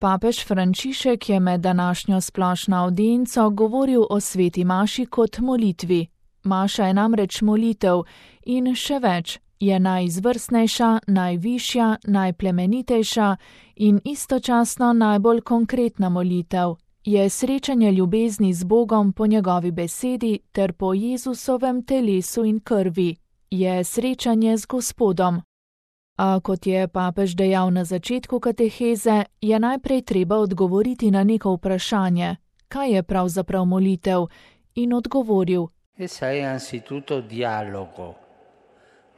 Papež Frančišek je med današnjo splošno avdienco govoril o sveti maši kot molitvi. Maša je namreč molitev in še več, je najizvrstnejša, najvišja, najplemenitejša in istočasno najbolj konkretna molitev. Je srečanje ljubezni z Bogom po njegovi besedi ter po Jezusovem telesu in krvi. Je srečanje z Gospodom. A kot je papež dejal na začetku kateheze, je najprej treba odgovoriti na neko vprašanje, kaj je pravzaprav molitev, in odgovoril: Essa è anzitutto dialogo,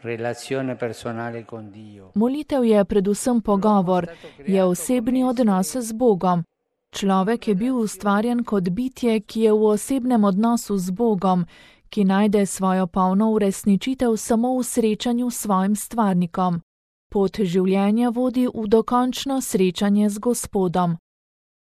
relazione personale con Dio. Molitev je predvsem pogovor, je osebni odnos z Bogom. Človek je bil ustvarjen kot bitje, ki je v osebnem odnosu z Bogom, ki najde svojo polno uresničitev samo v srečanju s svojim stvarnikom. Pot življenja vodi v dokončno srečanje z Gospodom.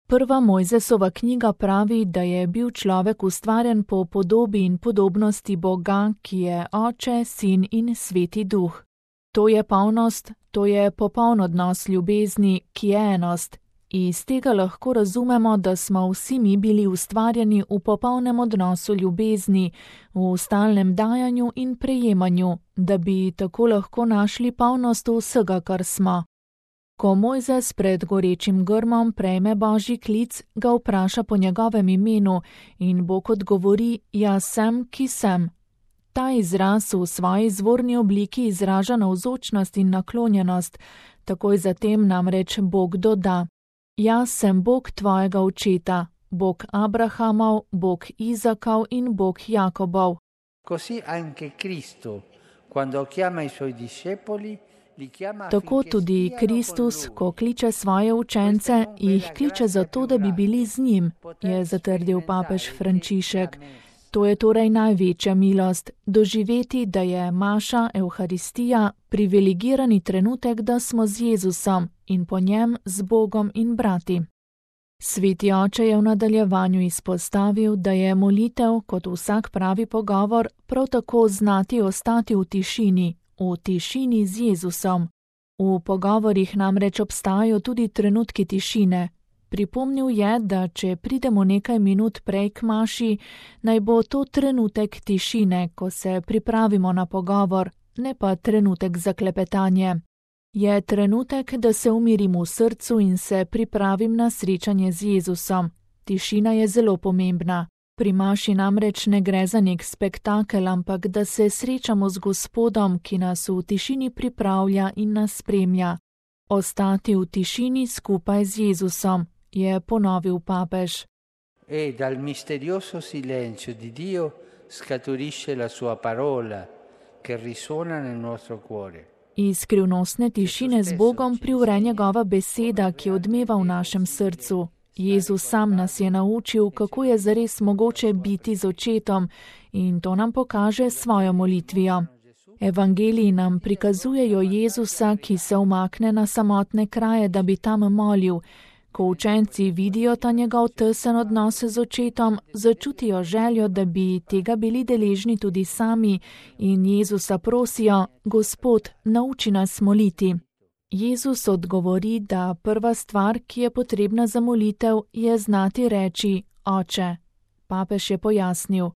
Prva Mojzesova knjiga pravi, da je bil človek ustvarjen po podobi in podobnosti Boga, ki je Oče, Sin in Sveti Duh. To je polnost, to je popoln odnos ljubezni, ki je enost. Iz tega lahko razumemo, da smo vsi mi bili ustvarjeni v popolnem odnosu ljubezni, v stalnem dajanju in prejemanju, da bi tako lahko našli polnost vsega, kar smo. Ko Mojzes pred gorečim grmom prejme Božji klic, ga vpraša po njegovem imenu in Bog odgovori: Jaz sem, ki sem. Ta izraz v svoji izvorni obliki izraža navzočnost in naklonjenost, takoj zatem namreč Bog doda: Jaz sem Bog tvojega očeta, Bog Abrahamov, Bog Izakov in Bog Jakobov. Così anche Cristo, quando chiama i suoi discepoli, li chiama Tako tudi Kristus, ko kliče svoje učence, jih kliče zato, da bi bili z njim, je zatrdil papež Frančišek. To je torej največja milost, doživeti, da je maša, Evharistija, privilegirani trenutek, da smo z Jezusom in po njem z Bogom in brati. Sveti oče je v nadaljevanju izpostavil, da je molitev, kot vsak pravi pogovor, prav tako znati ostati v tišini z Jezusom. V pogovorih namreč obstajajo tudi trenutki tišine. Pripomnil je, da če pridemo nekaj minut prej k maši, naj bo to trenutek tišine, ko se pripravimo na pogovor, ne pa trenutek za klepetanje. Je trenutek, da se umirim v srcu in se pripravim na srečanje z Jezusom. Tišina je zelo pomembna. Pri maši namreč ne gre za nek spektakel, ampak da se srečamo z Gospodom, ki nas v tišini pripravlja in nas spremlja. Ostati v tišini skupaj z Jezusom, je ponovil papež. E dal misterioso silenzio di Dio scaturisce la sua parola, che risuona nel nostro cuore. Iz skrivnostne tišine z Bogom privre njegova beseda, ki odmeva v našem srcu. Jezus sam nas je naučil, kako je zares mogoče biti z očetom, in to nam pokaže svojo molitvijo. Evangeliji nam prikazujejo Jezusa, ki se umakne na samotne kraje, da bi tam molil. Ko učenci vidijo ta njegov tesen odnos z očetom, začutijo željo, da bi tega bili deležni tudi sami in Jezusa prosijo: Gospod, nauči nas moliti. Jezus odgovori, da prva stvar, ki je potrebna za molitev, je znati reči: Oče. Papež je pojasnil: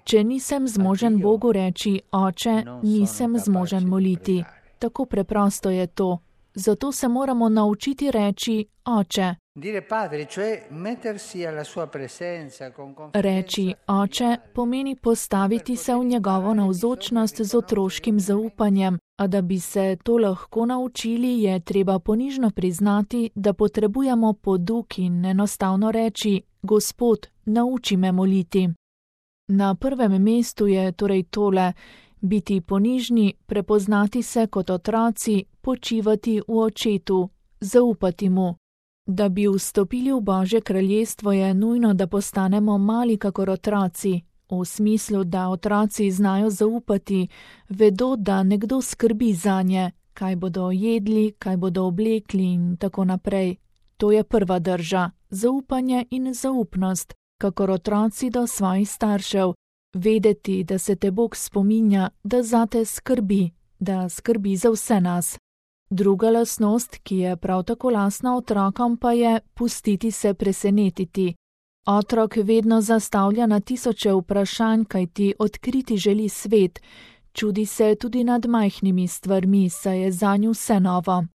Če nisem zmožen Bogu reči Oče, nisem zmožen moliti. Tako preprosto je to. Zato se moramo naučiti reči Oče. Reči Oče pomeni postaviti se v njegovo navzočnost z otroškim zaupanjem, a da bi se to lahko naučili, je treba ponižno priznati, da potrebujemo poduk in enostavno reči: Gospod, nauči me moliti. Na prvem mestu je torej tole: biti ponižni, prepoznati se kot otroci, počivati v očetu, zaupati mu. Da bi vstopili v Božje kraljestvo, je nujno, da postanemo mali kakor otroci, v smislu, da otroci znajo zaupati, vedo, da nekdo skrbi zanje, kaj bodo jedli, kaj bodo oblekli in tako naprej. To je prva drža, zaupanje in zaupnost, kakor otroci do svojih staršev. Vedeti, da se te Bog spominja, da zate skrbi, da skrbi za vse nas. Druga lastnost, ki je prav tako lastna otrokom, pa je pustiti se presenetiti. Otrok vedno zastavlja na tisoče vprašanj, kajti odkriti želi svet, čudi se tudi nad majhnimi stvarmi, saj je zanj vse novo.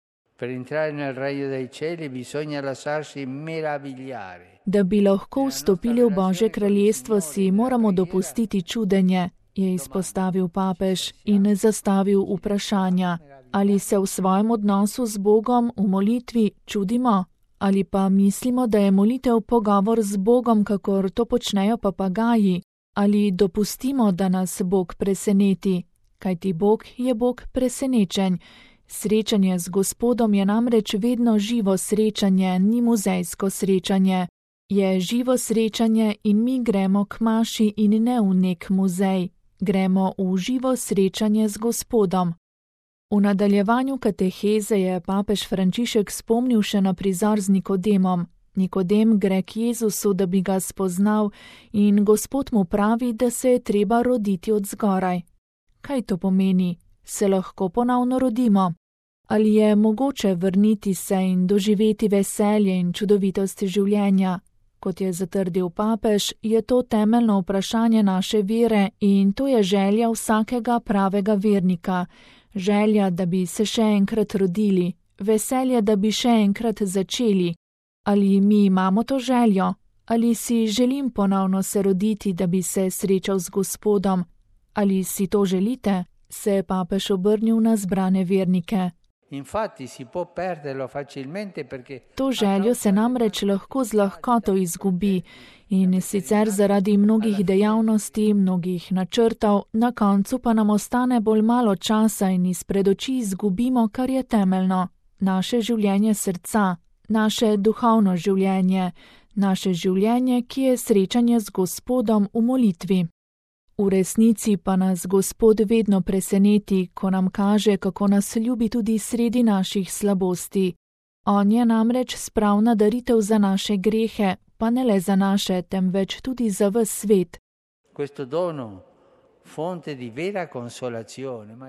Da bi lahko vstopili v Božje kraljestvo, si moramo dopustiti čudenje, je izpostavil papež in zastavil vprašanja. Ali se v svojem odnosu z Bogom v molitvi čudimo? Ali pa mislimo, da je molitev pogovor z Bogom, kakor to počnejo papagaji? Ali dopustimo, da nas Bog preseneti? Kajti Bog je Bog presenečenj. Srečanje z Gospodom je namreč vedno živo srečanje, ni muzejsko srečanje. Je živo srečanje in mi gremo k maši in ne v nek muzej. Gremo v živo srečanje z Gospodom. V nadaljevanju kateheze je papež Frančišek spomnil še na prizor z Nikodemom. Nikodem gre k Jezusu, da bi ga spoznal, in Gospod mu pravi, da se je treba roditi od zgoraj. Kaj to pomeni? Se lahko ponovno rodimo? Ali je mogoče vrniti se in doživeti veselje in čudovitost življenja? Kot je zatrdil papež, je to temeljno vprašanje naše vere in to je želja vsakega pravega vernika. Želja, da bi se še enkrat rodili, veselje, da bi še enkrat začeli. Ali mi imamo to željo? Ali si želim ponovno se roditi, da bi se srečal z Gospodom? Ali si to želite? Se je papež obrnil na zbrane vernike. To željo se namreč lahko z lahkoto izgubi in sicer zaradi mnogih dejavnosti, mnogih načrtov, na koncu pa nam ostane bolj malo časa in izpred oči izgubimo, kar je temeljno. Naše življenje srca, naše duhovno življenje, naše življenje, ki je srečanje z Gospodom v molitvi. V resnici pa nas Gospod vedno preseneti, ko nam kaže, kako nas ljubi tudi sredi naših slabosti. On je namreč spravna daritev za naše grehe, pa ne le za naše, temveč tudi za ves svet.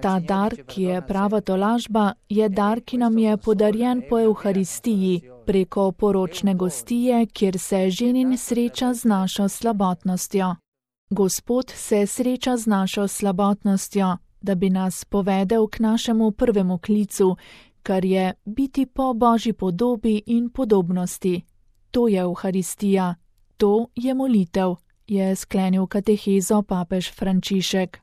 Ta dar, ki je prava tolažba, je dar, ki nam je podarjen po Evharistiji, preko poročne gostije, kjer se ženin sreča z našo slabotnostjo. Gospod se sreča z našo slabotnostjo, da bi nas povedel k našemu prvemu klicu, kar je biti po Božji podobi in podobnosti. To je Evharistija, to je molitev, je sklenil katehezo papež Frančišek.